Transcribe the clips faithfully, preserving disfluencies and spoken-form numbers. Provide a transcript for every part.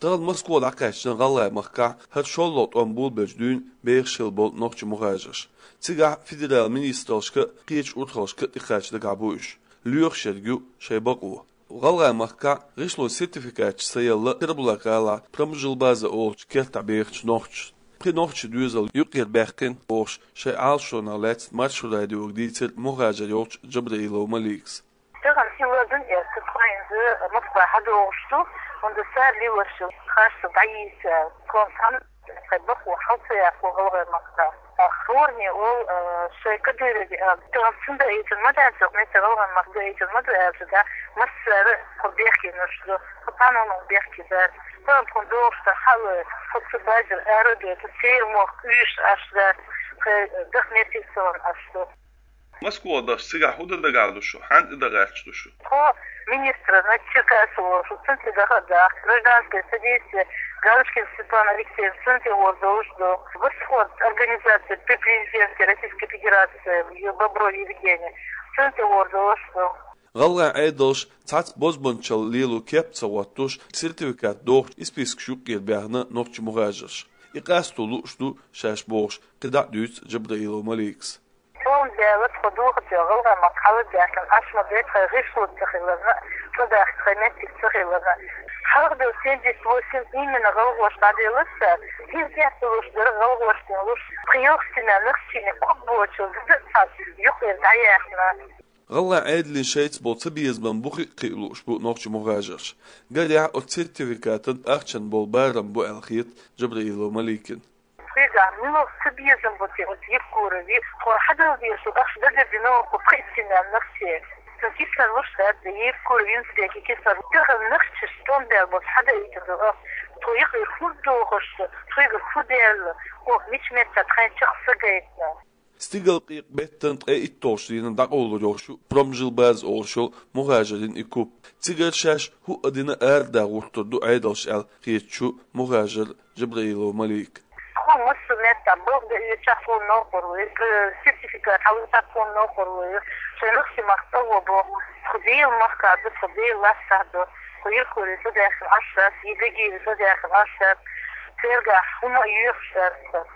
Тахана Москва дӀакхаьчча, ГӀалгӀай махкахь хӀара шоллагӀа тӀом болабелча дуьйна бехаш хилла болу нохчийн мухӀажарш. Цигахь федералан министраллашка а, кхечу урхаллашка а тӀекхача дагахь бу уьш. Лоьхуш ерг ю шайн бакъо. ГӀалгӀай махкахь гӀишлон сертификаташ ца елла Кербала-ГӀалахь Промжилбаза олучу кертахь бехачу нохчаша. Пхи нохчийн доьзал юкъера баьккхина бохуш, шайн Ӏалашонах лаьцна Маршо радиога дийцира мухӀажар йолчу Джабраилова Маликас. Тахана хӀинца лазийна эцна тхо хӀинца Москва хьадогӀуш ду, хӀунда цара лелош ю, хьашт дӀайийца, тхуна цхьанна тхайн бакъо хьал ца яккхало ГӀалгӀай махкахь. Хьоранне олу, а, шайн Кадырове, а, тахана цунна даийтина ма дац, оха меттехь ГӀалгӀай махка даийтина ма ду аьлча, да, массара а кху бехкенаш ду, кху цхьана а бехке дац. Тахана тхуна догӀуш дан хьалой, кху цу базар арадой, цу церан мохк уьйш Ӏаш дац, тхайн даха меттиг ца ван Ӏаш ду. Москва дахча, цигахь хӀун дан дагахь ду шу? Хьанна тӀе дан гӀерташ ду шу? Тхо министра Черкасова волчу, цунна тӀе даха а даха, гражданское содействие, Галочкин Светлана Алексеевна, цунна тӀе гӀур долуш ду. Восход, организация при президенте Российской Федерации, Бобров Евгений, цунна тӀе гӀур долуш ду. ГӀалгӀайн Ӏедалша цхьацца бозбуунчалла лело кеп ца хӀоттош, сертификат дохучу спискаш юккъера баьхна нохчийн мухӀажарш. И къасто лууш ду шаьш бохуш, кхидӀа а дуьйцу Джабраилова Маликас. Цундела тхо дохаде ГӀалгӀай махка хьала а даьхкина, Ӏаш ма дай тхайн гӀишло ца хиларна, цӀа дахка тхайн меттиг ца хиларна. Хьалха долу семьдесят восемь именно гӀалгӀаша дӀаделла цара, иза тӀехь долуш дара гӀалгӀаша долуш, тхо ялх семья нохчийн куп боцуш, деза а цхьацца юкъера дӀаяьхна. ГӀалгӀайн Ӏедална шайца болу цабезаман бухе а кхиа лууш бу нохчийн мухӀажарш. Гарехь, оцу сертификатан ахчанан болу барам бу аьлла хета Джабраилова Маликина. Тхоьгахь муьлха цабезам бу те оцу Евкурове, тхо хьадала дезаш ахча дагардина оха пхийтта семья нохчийн. Цуьнан кислород луш дац, Евкуров Юнус-Бека кислород. Тахана нохчашна тӀом баьлла болчу хьадаийтина ду ахча. Тхо юкъера хӀун дохуш ду, тхоьгара хӀун даьлла, оха мича меттехь тхайна чекх са гайтина. Стигалкъекъа беттан ткъе итталгӀачу дийнахь дӀакъовлур йолуш ю Промжилбаза олуш йолу мухӀажарийн и куп. Цигара шаьш хӀуъа дина арадаха гӀуртур ду Ӏедалша аьлла хеташ ю мухӀажар Джабраилова Малика. Тхо массо а меттехь балха дан оьшучохь тхуна новкъарло ю, сертификат хьалуьйтучохь тхуна новкъарло ю. Шайн нохчийн махка цӀа вон боху, тхо Делан махкахь ду, тхо Делан лаьттахь ду, тхо Евкурове цӀа даьхкина Ӏаш дац, я Гагиеве цӀа даьхкина Ӏаш дац, цергахь хӀума а йоьхуш дац.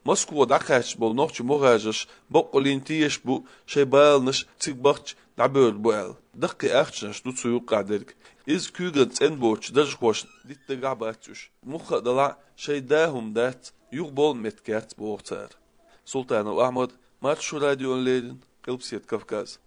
Москва дӀакхаьчна болу нохчийн мухӀажарш боккъаллин тешаш бу, шайн баланаш цига бахча дӀабевр бу аьлла. Даккхий ахчанаш ду цу юккъехь дерг. Иза куьйган цӀена боцучу даржхошна дитта дагахь бац уьш. Мухха а далахь, шайн да хӀума дац, юха болу меттиг яц, боху цара. Султанов Ахьмад, Маршо радиона леррина, Къилбаседа Кавказ.